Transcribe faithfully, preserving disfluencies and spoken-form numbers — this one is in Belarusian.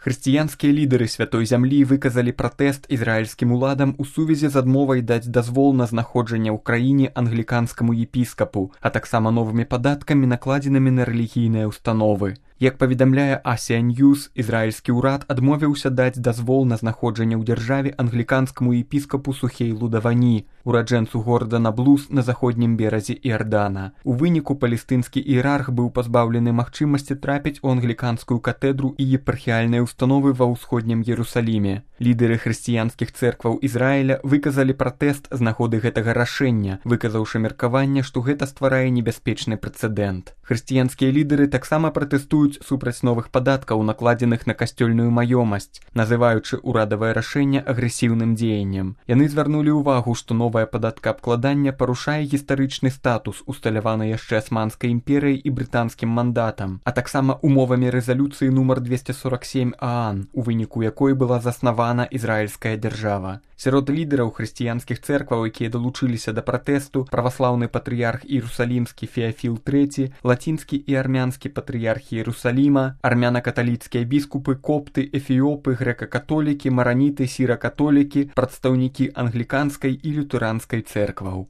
Хрысціянскія лідары святой зямлі выказалі пратэст ізраільскім уладам у сувязі з адмовай даць дазвол на знаходжанне ў краіне англіканскаму епіскапу, а таксама новымі падаткамі, накладзенымі на рэлігійныя установы. Як паведамляе Асія Ньюс, ізраільскі ўрад адмовіўся даць дазвол на знаходжанне ў дзяржаве англіканскаму епіскапу Сухейлу Давані, ураджэнцу горада Наблус на заходнім беразе Іордана. У выніку палестынскі іерарх быў пазбаўлены магчымасці трапіць у англіканскую катедру і епархіяльныя установы ва ўсходнім Ерусаліме. Лідары хрысціянскіх цэркваў Ізраіля выказалі пратэст з нагоды гэтага рашэння, выказаўшы меркаванне, што гэта стварае небяспечны прэцэдэнт. Хрысціянскія лідары таксама пратэстуюць супраць новых падаткаў, накладзеных на касцёльную маёмасць, называючы ўрадавае рашэнне агрэсіўным дзеяннем. Яны звярнулі ўвагу, што новае падаткаабкладанне парушае гістарычны статус, усталяваны яшчэ Асманскай імперыяй і брытанскім мандатам, а таксама умовамі рэзалюцыі нумар двести сорок семь ААН, у выніку якой была заснавана ізраільская дзяржава. Сярод лідараў хрысціянскіх цэркваў, якія далучыліся да пратэсту, праваслаўны патрыярх Іерусалімскі Феафіл трэці, лацінскі і армянскі патрыярхі Іерусаліма, армяна-каталіцкія біскупы, копты, эфіопы, грэка-католікі, мараніты, сіра-католікі, прадстаўнікі англіканскай і лютэранскай цэркваў.